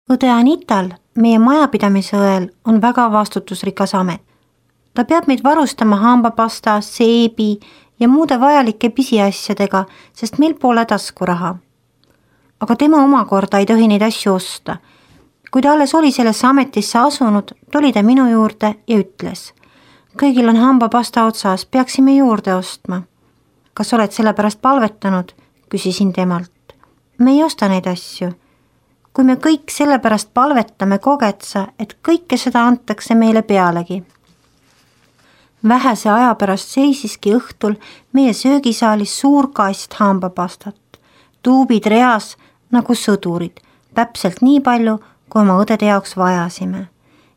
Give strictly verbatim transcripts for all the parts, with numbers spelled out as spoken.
õde Anital, meie majapidamise õel, on väga vastutusrikas amet. Ta peab meid varustama hambapasta, seebi ja muude vajalike pisiasjadega, sest meil pole taskuraha. Aga tema omakorda ei tohi neid asju osta. Kui ta alles oli sellesse ametisse asunud, tuli ta minu juurde ja ütles: kõigil on hambapasta otsas, peaksime juurde ostma. Kas oled selle pärast palvetanud? Küsisin temalt. Me ei osta neid asju. Kui me kõik selle pärast palvetame, kogetsa, et kõike seda antakse meile pealegi. Vähese aja pärast seisiski õhtul meie söögisaalis suur kast hambapastat. Tuubid reas nagu sõdurid, täpselt nii palju, kui oma õdede jaoks vajasime.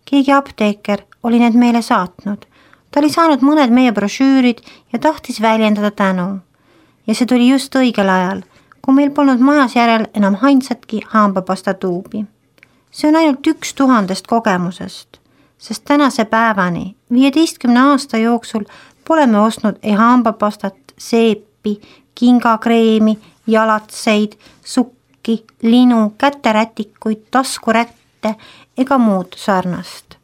Keegi apteeker oli need meile saatnud. Ta oli saanud mõned meie brošüürid ja tahtis väljendada tänu. Ja see tuli just õigel ajal, kui meil polnud majas järel enam ainsatki hambapasta tuubi. See on ainult üks tuhandest kogemusest, sest tänase päevani, viieteistkümne aasta jooksul pole me ostnud ei hambapastat, seepi, kingakreemi, jalatseid, sukki, linu, käterätikuid, taskurätte ega muud sarnast.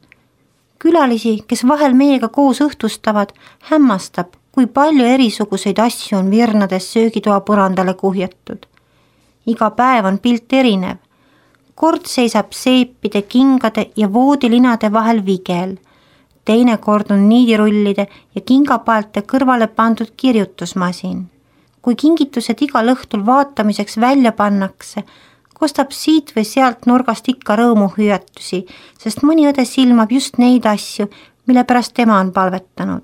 Külalisi, kes vahel meiega koos õhtustavad, hämmastab, kui palju erisuguseid asju on virnades söögitoa põrandale kuhjatud. Iga päev on pilt erinev. Kord seisab seepide, kingade ja voodilinade vahel vigel. Teine kord on niidirullide ja kingapaelte kõrvale pandud kirjutusmasin. Kui kingitused igal õhtul vaatamiseks välja pannakse, kostab siit või sealt nurgast ikka rõõmuhüüatusi, sest mõni õde silmab just neid asju, mille pärast tema on palvetanud.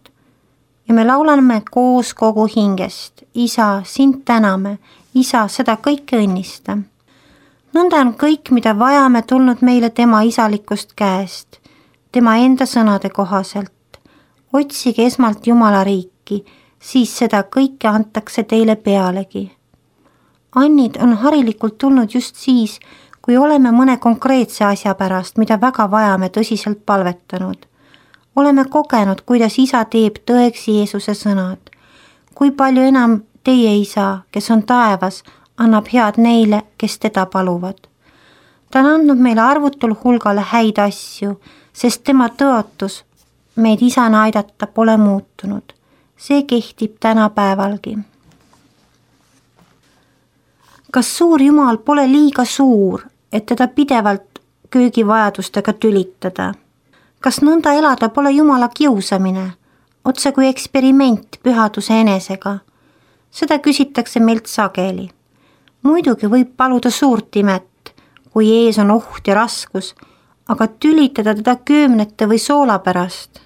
Ja me laulame koos kogu hingest. Isa, sind täname. Isa, seda kõike õnnista. Nõnda on kõik, mida vajame, tulnud meile tema isalikust käest, tema enda sõnade kohaselt. Otsige esmalt Jumala riiki, siis seda kõike antakse teile pealegi. Annid on harilikult tulnud just siis, kui oleme mõne konkreetse asja pärast, mida väga vajame, tõsiselt palvetanud. Oleme kogenud, kuidas isa teeb tõeks Jeesuse sõnad. Kui palju enam teie isa, kes on taevas, annab head neile, kes teda paluvad. Ta on andnud meile arvutul hulgale häid asju, sest tema tõotus meid isana aidata pole muutunud. See kehtib tänapäevalgi. Kas suur Jumal pole liiga suur, et teda pidevalt köögivajadustega tülitada? Kas nõnda elada pole Jumala kiusamine, otse kui eksperiment pühaduse enesega? Seda küsitakse meilt sageli. Muidugi võib paluda suurt imet, kui ees on oht ja raskus, aga tülitada teda köömnete või soola pärast.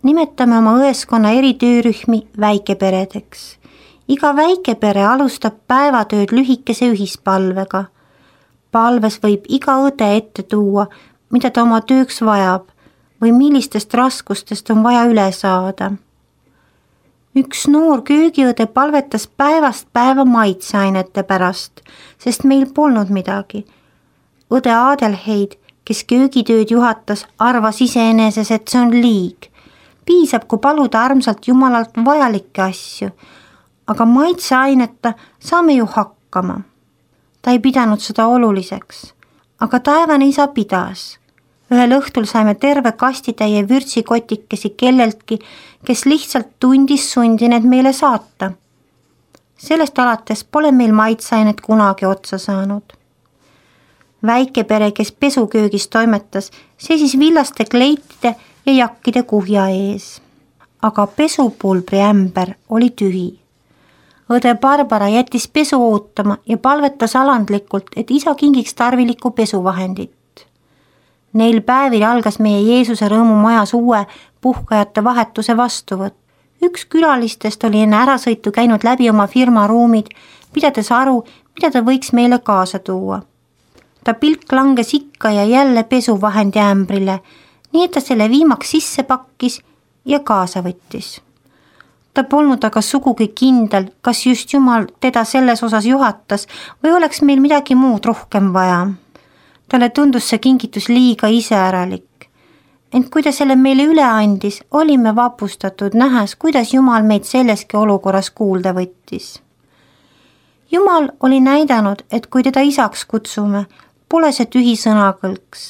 Nimetame oma õeskonna eri töörühmi väikeperedeks. Iga väikepere alustab päevatööd lühikese ühispalvega. Palves võib iga õde ette tuua, mida ta oma tööks vajab või millistest raskustest on vaja üle saada. Üks noor köögiõde palvetas päevast päeva maitseainete pärast, sest meil polnud midagi. Õde Adelheid, kes köögitööd juhatas, arvas iseeneses, et see on liig. Piisab, kui paluda armsalt Jumalalt vajalikke asju, aga maitseaineta saame ju hakkama. Ta ei pidanud seda oluliseks, aga taevane isa pidas. Ühel õhtul saime terve kastitäie vürtsikotikesi kelleltki, kes lihtsalt tundis sundi need meile saata. Sellest alates pole meil maitseainet kunagi otsa saanud. Väikepere, kes pesuköögis toimetas, seisis villaste kleitide ja jakkide kuhja ees. Aga pesupulbri ämber oli tühi. Õde Barbara jättis pesu ootama ja palvetas alandlikult, et isa kingiks tarvilikku pesuvahendit. Neil päevil algas meie Jeesuse rõõmu majas uue puhkajate vahetuse vastuvõtt. Üks külalistest oli enne ärasõitu käinud läbi oma firma ruumid, pidades aru, mida ta võiks meile kaasa tuua. Ta pilk langes ikka ja jälle pesuvahendi ämbrile, nii et ta selle viimaks sisse pakkis ja kaasa võttis. Ta polnud aga sugugi kindel, kas just Jumal teda selles osas juhatas või oleks meil midagi muud rohkem vaja. Talle tundus see kingitus liiga iseäralik. Ent kui ta selle meile üle andis, olime vapustatud nähes, kuidas Jumal meid selleski olukorras kuulda võttis. Jumal oli näidanud, et kui teda isaks kutsume, pole see tühi sõnakõlks,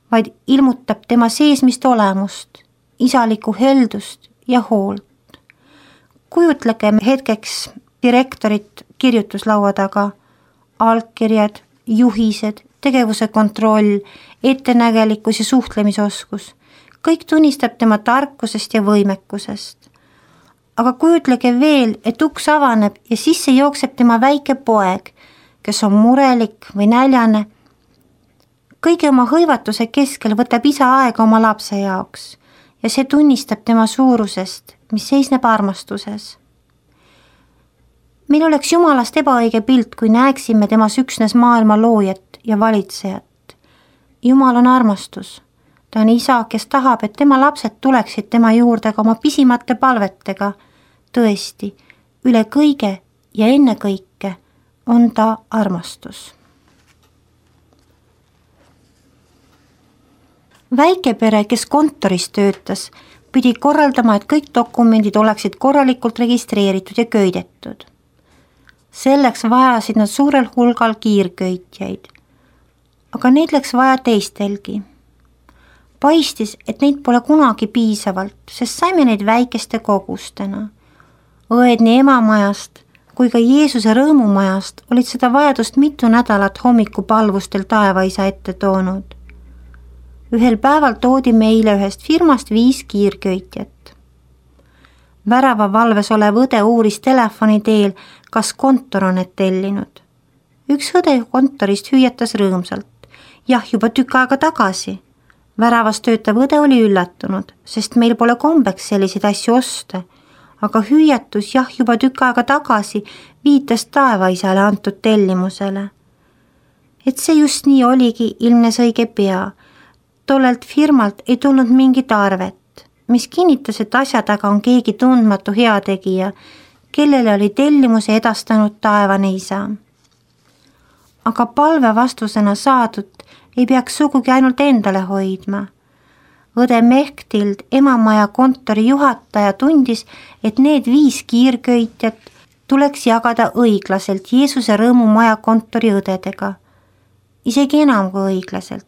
vaid ilmutab tema seesmist olemust, isalikku heldust ja hoolt. Kujutlegem hetkeks direktorit kirjutuslaua taga, allkirjad, juhised, tegevuse kontroll, ettenägelikkus ja suhtlemisoskus. Kõik tunnistab tema tarkusest ja võimekusest. Aga kujutlege veel, et uks avaneb ja sisse jookseb tema väike poeg, kes on murelik või näljane. Kõige oma hõivatuse keskel võtab isa aega oma lapse jaoks ja see tunnistab tema suurusest, mis seisneb armastuses. Meil oleks Jumalast ebaõige pilt, kui näeksime temas üksnes maailma loojat ja valitsejat. Jumal on armastus. Ta on isa, kes tahab, et tema lapsed tuleksid tema juurde ka oma pisimate palvetega. Tõesti, üle kõige ja enne kõike on ta armastus. Väikepere, kes kontoris töötas, pidi korraldama, et kõik dokumendid oleksid korralikult registreeritud ja köidetud. Selleks vajasid nad suurel hulgal kiirköitjaid, aga neid läks vaja teistelgi. Paistis, et neid pole kunagi piisavalt, sest saime neid väikeste kogustena. Õed nii emamajast kui ka Jeesuse rõõmumajast olid seda vajadust mitu nädalat hommikupalvustel taevaisa ette toonud. Ühel päeval toodi meile ühest firmast viis kiirköitjat. Värava valves olev õde uuris telefoni teel, kas kontor on need tellinud. Üks õde kontorist hüüatas rõõmsalt. Jah, juba tükk aega tagasi. Väravas töötav õde oli üllatunud, sest meil pole kombeks selliseid asju osta, aga hüüatus jah juba tükk aega tagasi viitas taevaisale antud tellimusele. Et see just nii oligi, ilmnes õige pea. Tollelt firmalt ei tulnud mingit arvet, mis kinnitas, et asja taga on keegi tundmatu heategija, kellele oli tellimuse edastanud taevane isa. Aga palve vastusena saadud ei peaks sugugi ainult endale hoidma. Õde Mechtild, emamaja kontori juhataja, tundis, et need viis kiirköitjat tuleks jagada õiglaselt Jeesuse rõõmumaja kontori õdedega. Isegi enam kui õiglaselt.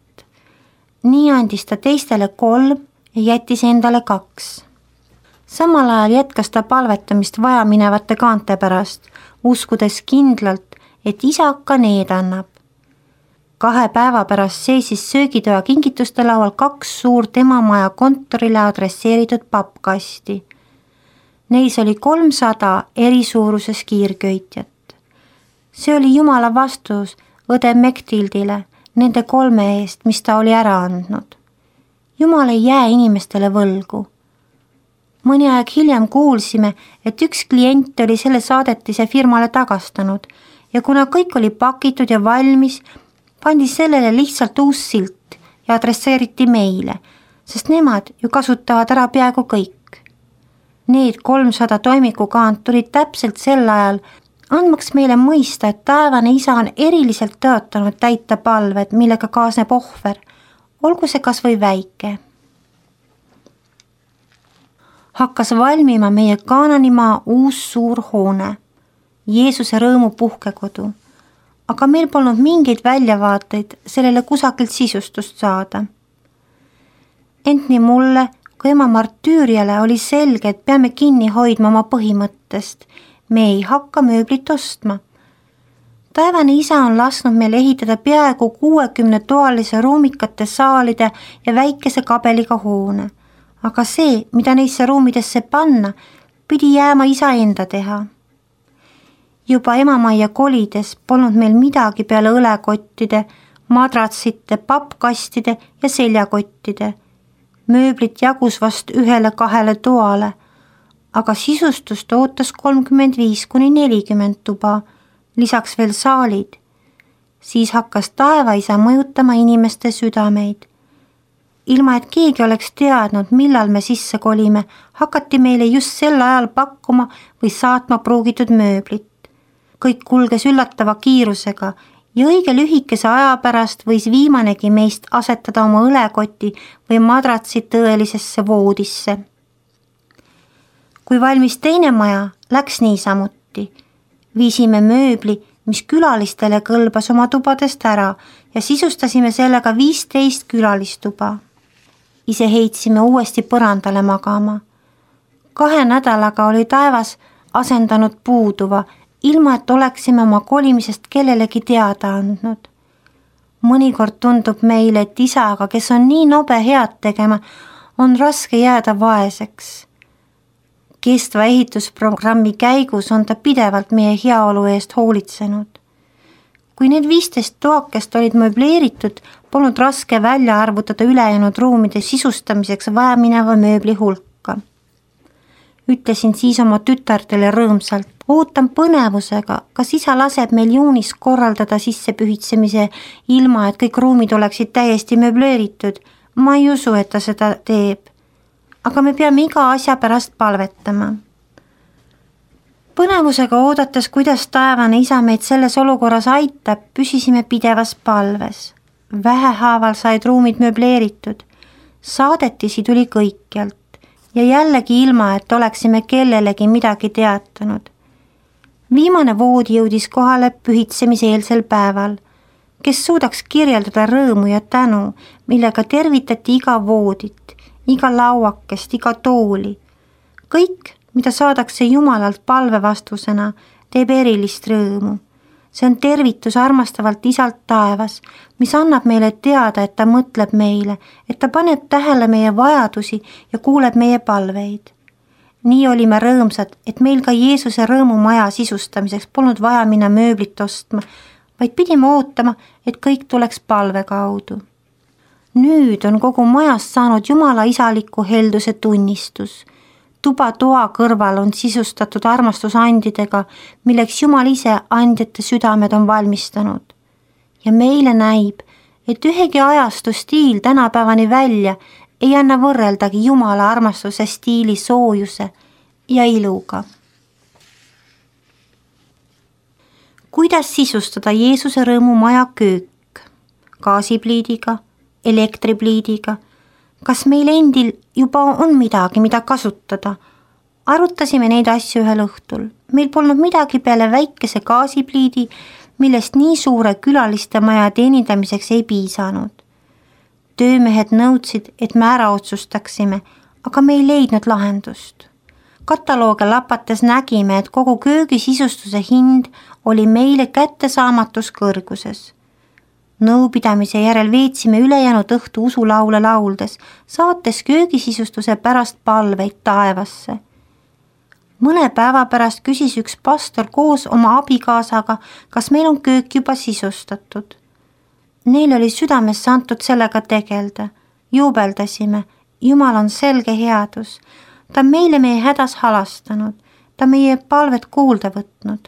Nii andis ta teistele kolm ja jättis endale kaks. Samal ajal jätkas ta palvetamist vajaminevate kaante pärast, uskudes kindlalt, et isa ka need annab. Kahe päeva pärast seisis söögitoa kingituste laual kaks suurt emamaja kontorile adresseeritud pappkasti. Neis oli kolmsada eri suuruses kiirköitjat. See oli Jumala vastus õde Mechtildile nende kolme eest, mis ta oli ära andnud. Jumal ei jää inimestele võlgu. Mõni aeg hiljem kuulsime, et üks klient oli selle saadetise firmale tagastanud ja kuna kõik oli pakitud ja valmis, pandi sellele lihtsalt uus silt ja adresseeriti meile, sest nemad ju kasutavad ära peaaegu kõik. Need kolmsada toimikukaant tulid täpselt sel ajal, andmaks meile mõista, et taevane isa on eriliselt tõotanud täita palved, millega kaasneb ohver, olgu see kas või väike. Hakkas valmima meie Kaananimaa uus suur hoone, Jeesuse rõõmu puhkekodu, aga meil polnud mingeid väljavaateid sellele kusagilt sisustust saada. Ent nii mulle kui ema martüüriale oli selge, et peame kinni hoidma oma põhimõttest. Me ei hakka mööblit ostma. Taevane isa on lasknud meil ehitada peaaegu kuuekümne toalise ruumikate saalide ja väikese kabeliga hoone. Aga see, mida neisse ruumidesse panna, pidi jääma isa enda teha. Juba emamajja kolides polnud meil midagi peale õlekottide, madratsite, pappkastide ja seljakottide. Mööblit jagus vast ühele kahele toale, aga sisustust ootas kolmkümmend viis kuni nelikümmend tuba, lisaks veel saalid. Siis hakkas taevaisa mõjutama inimeste südameid. Ilma, et keegi oleks teadnud, millal me sisse kolime, hakati meile just sel ajal pakkuma või saatma pruugitud mööblit. Kõik kulges üllatava kiirusega ja õige lühikese aja pärast võis viimanegi meist asetada oma õlekoti või madratsi tõelisesse voodisse. Kui valmis teine maja, läks niisamuti. Viisime mööbli, mis külalistele kõlbas oma tubadest ära ja sisustasime sellega viisteist külalistuba. Ise heitsime uuesti põrandale magama. Kahe nädalaga oli taevas asendanud puuduva, ilma et oleksime oma kolimisest kellelegi teada andnud. Mõnikord tundub meile, et isaga, kes on nii nobe head tegema, on raske jääda vaeseks. Kestva ehitusprogrammi käigus on ta pidevalt meie heaolu eest hoolitsenud. Kui need viisteist toakest olid möbleeritud, polnud raske välja arvutada ülejäänud ruumide sisustamiseks vajamineva mööbli hulka. Ütlesin siis oma tütardele rõõmsalt, ootan põnevusega, kas isa laseb meil juunis korraldada sissepühitsemise ilma, et kõik ruumid oleksid täiesti möbleeritud. Ma ei usu, et ta seda teeb. Aga me peame iga asja pärast palvetama. Põnevusega oodates, kuidas taevane isa meid selles olukorras aitab, püsisime pidevas palves. Vähehaaval said ruumid möbleeritud. Saadetisi tuli kõikjalt ja jällegi ilma, et oleksime kellelegi midagi teatanud. Viimane voodi jõudis kohale pühitsemise eelsel päeval, kes suudaks kirjeldada rõõmu ja tänu, millega tervitati iga voodit, iga lauakest, iga tooli. Kõik, mida saadakse Jumalalt palvevastusena, teeb erilist rõõmu. See on tervitus armastavalt isalt taevas, mis annab meile teada, et ta mõtleb meile, et ta paneb tähele meie vajadusi ja kuuleb meie palveid. Nii olime rõõmsad, et meil ka Jeesuse rõõmumaja sisustamiseks polnud vaja minna mööblit ostma, vaid pidime ootama, et kõik tuleks palve kaudu. Nüüd on kogu majast saanud Jumala isaliku helduse tunnistus. Tuba toa kõrval on sisustatud armastusandidega, milleks Jumal ise andjate südamed on valmistanud. Ja meile näib, et ühegi ajastu stiil tänapäevani välja ei anna võrreldagi Jumala armastuse stiili soojuse ja iluga. Kuidas sisustada Jeesuse rõõmumaja köök? Gaasipliidiga, elektripliidiga? Kas meil endil juba on midagi, mida kasutada? Arutasime neid asju ühel õhtul. Meil polnud midagi peale väikese gaasipliidi, millest nii suure külaliste maja teenindamiseks ei piisanud. Töömehed nõudsid, et me ära otsustaksime, aga me ei leidnud lahendust. Katalooge lapates nägime, et kogu köögisisustuse hind oli meile kättesaamatus kõrguses. Nõupidamise järel veetsime ülejäänud õhtu usulaule lauldes, saates köögisisustuse pärast palveid taevasse. Mõne päeva pärast küsis üks pastor koos oma abikaasaga, kas meil on köök juba sisustatud. Neil oli südamesse antud sellega tegelda. Juubeldasime, Jumal on selge headus. Ta meile meie hädas halastanud, ta meie palvet kuulda võtnud.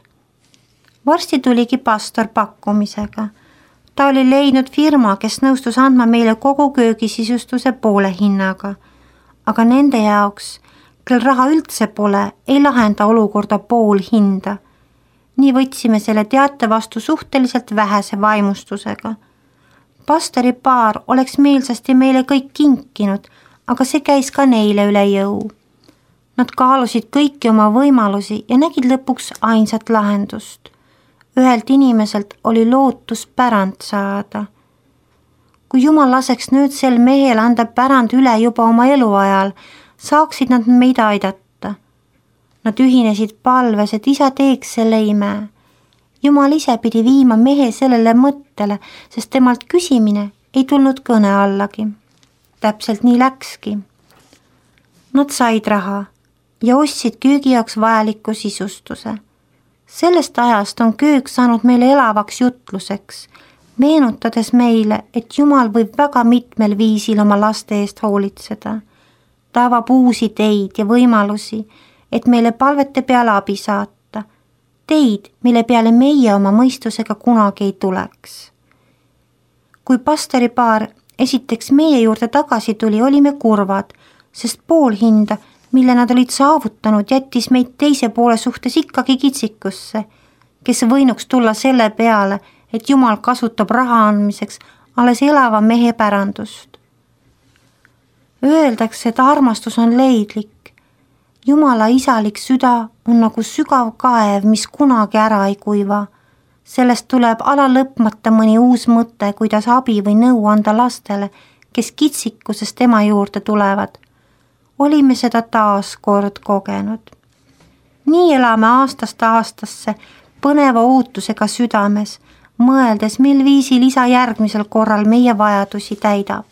Varsti tuligi pastor pakkumisega. Ta oli leidnud firma, kes nõustus andma meile kogu köögisisustuse poole hinnaga. Aga nende jaoks, kel raha üldse pole, ei lahenda olukorda pool hinda. Nii võtsime selle teate vastu suhteliselt vähese vaimustusega. Pastori paar oleks meelsasti meile kõik kinkinud, aga see käis ka neile üle jõu. Nad kaalusid kõiki oma võimalusi ja nägid lõpuks ainsat lahendust. Ühelt inimeselt oli lootus pärand saada. Kui Jumal laseks nüüd sel mehel anda pärand üle juba oma eluajal, saaksid nad meid aidata. Nad ühinesid palves, et isa teeks selle ime. Jumal ise pidi viima mehe sellele mõttele, sest temalt küsimine ei tulnud kõne allagi. Täpselt nii läkski. Nad said raha ja ostsid köögi jaoks vajaliku sisustuse. Sellest ajast on köök saanud meile elavaks jutluseks, meenutades meile, et Jumal võib väga mitmel viisil oma laste eest hoolitseda. Ta avab uusi teid ja võimalusi, et meile palvete peale abi saata. Teid, mille peale meie oma mõistusega kunagi ei tuleks. Kui pastoripaar esiteks meie juurde tagasi tuli, olime kurvad, sest pool hinda, mille nad olid saavutanud, jättis meid teise poole suhtes ikkagi kitsikusse, kes võinuks tulla selle peale, et Jumal kasutab raha andmiseks alles elava mehe pärandust. Öeldakse, et armastus on leidlik. Jumala isalik süda on nagu sügav kaev, mis kunagi ära ei kuiva. Sellest tuleb ala lõpmata mõni uus mõte, kuidas abi või nõu anda lastele, kes kitsikusest tema juurde tulevad. Olime seda taas kord kogenud. Nii elame aastast aastasse põneva ootusega südames, mõeldes, mil viisil isa järgmisel korral meie vajadusi täidab.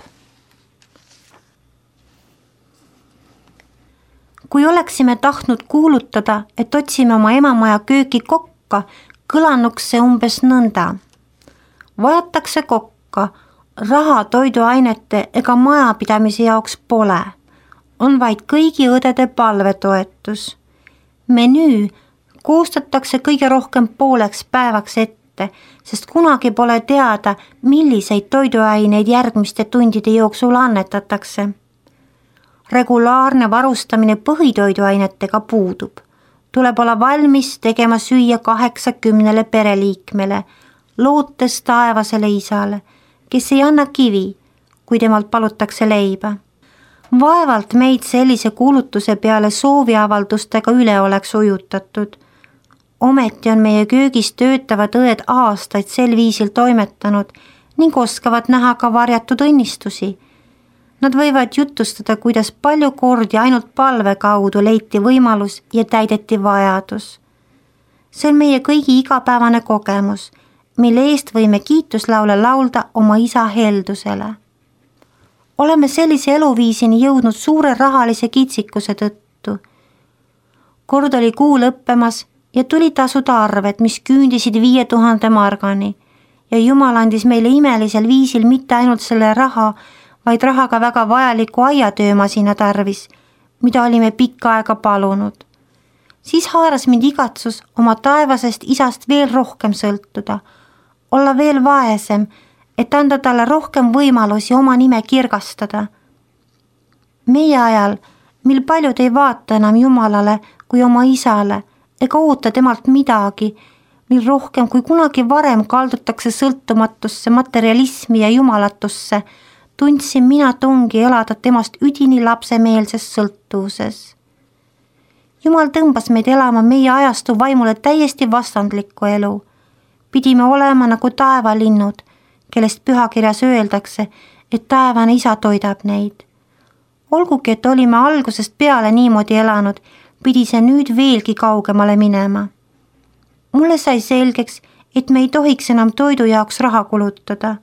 Kui oleksime tahtnud kuulutada, et otsime oma emamaja kööki kokka, kõlanuks see umbes nõnda. Vajatakse kokka, raha toiduainete ega majapidamise jaoks pole. On vaid kõigi õdede palvetoetus. Menüü koostatakse kõige rohkem pooleks päevaks ette, sest kunagi pole teada, milliseid toiduaineid järgmiste tundide jooksul annetatakse. Regulaarne varustamine põhitoiduainetega puudub. Tuleb olla valmis tegema süüa kaheksakümnele pereliikmele, lootes taevasele isale, kes ei anna kivi, kui temalt palutakse leiba. Vaevalt meid sellise kuulutuse peale sooviavaldustega üle oleks ujutatud. Ometi on meie köögis töötavad õed aastaid sel viisil toimetanud ning oskavad näha ka varjatud õnnistusi. Nad võivad jutustada, kuidas palju kordi ainult palve kaudu leiti võimalus ja täideti vajadus. See on meie kõigi igapäevane kogemus, mille eest võime kiituslaule laulda oma isa heldusele. Oleme sellise eluviisini jõudnud suure rahalise kitsikuse tõttu. Kord oli kuu lõppemas ja tuli tasuda arved, mis küündisid viie tuhande margani ja Jumal andis meile imelisel viisil mitte ainult selle raha, vaid rahaga väga vajaliku aiatöömasina tarvis, mida olime pikka aega palunud. Siis haaras mind igatsus oma taevasest isast veel rohkem sõltuda, olla veel vaesem, et anda talle rohkem võimalusi oma nime kirgastada. Meie ajal, mil paljud ei vaata enam Jumalale kui oma isale ega oota temalt midagi, mil rohkem kui kunagi varem kaldutakse sõltumatusse materialismi ja jumalatusse, tundsin mina tungi elada temast üdini lapsemeelses sõltuvuses. Jumal tõmbas meid elama meie ajastu vaimule täiesti vastandlikku elu. Pidime olema nagu taevalinnud, kellest pühakirjas öeldakse, et taevane isa toidab neid. Olgugi, et olime algusest peale niimoodi elanud, pidi see nüüd veelgi kaugemale minema. Mulle sai selgeks, et me ei tohiks enam toidu jaoks raha kulutada.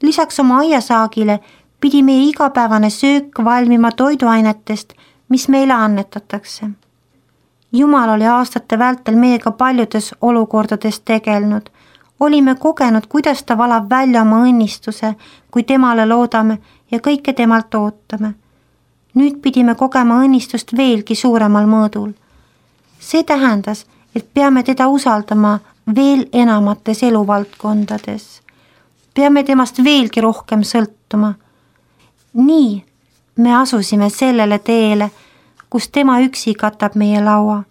Lisaks oma aiasaagile pidi meie igapäevane söök valmima toiduainetest, mis meile annetatakse. Jumal oli aastate vältel meiega paljudes olukordades tegelnud. Olime kogenud, kuidas ta valab välja oma õnnistuse, kui temale loodame ja kõike temalt ootame. Nüüd pidime kogema õnnistust veelgi suuremal mõõdul. See tähendas, et peame teda usaldama veel enamates eluvaldkondades. Peame temast veelgi rohkem sõltuma. Nii me asusime sellele teele, kus tema üksi katab meie laua,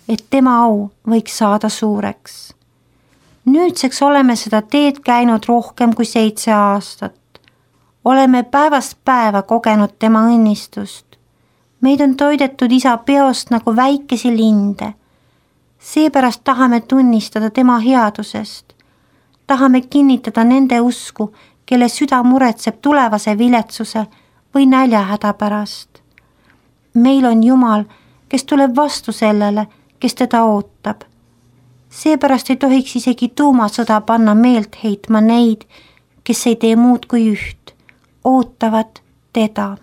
et tema au võiks saada suureks. Nüüdseks oleme seda teed käinud rohkem kui seitse aastat. Oleme päevast päeva kogenud tema õnnistust. Meid on toidetud isa peost nagu väikesi linde. Seepärast tahame tunnistada tema headusest. Tahame kinnitada nende usku, kelle süda muretseb tulevase viletsuse või näljahäda pärast. Meil on Jumal, kes tuleb vastu sellele, kes teda ootab. Seepärast ei tohiks isegi tuumasõda panna meelt heitma neid, kes ei tee muud kui üht, ootavad teda.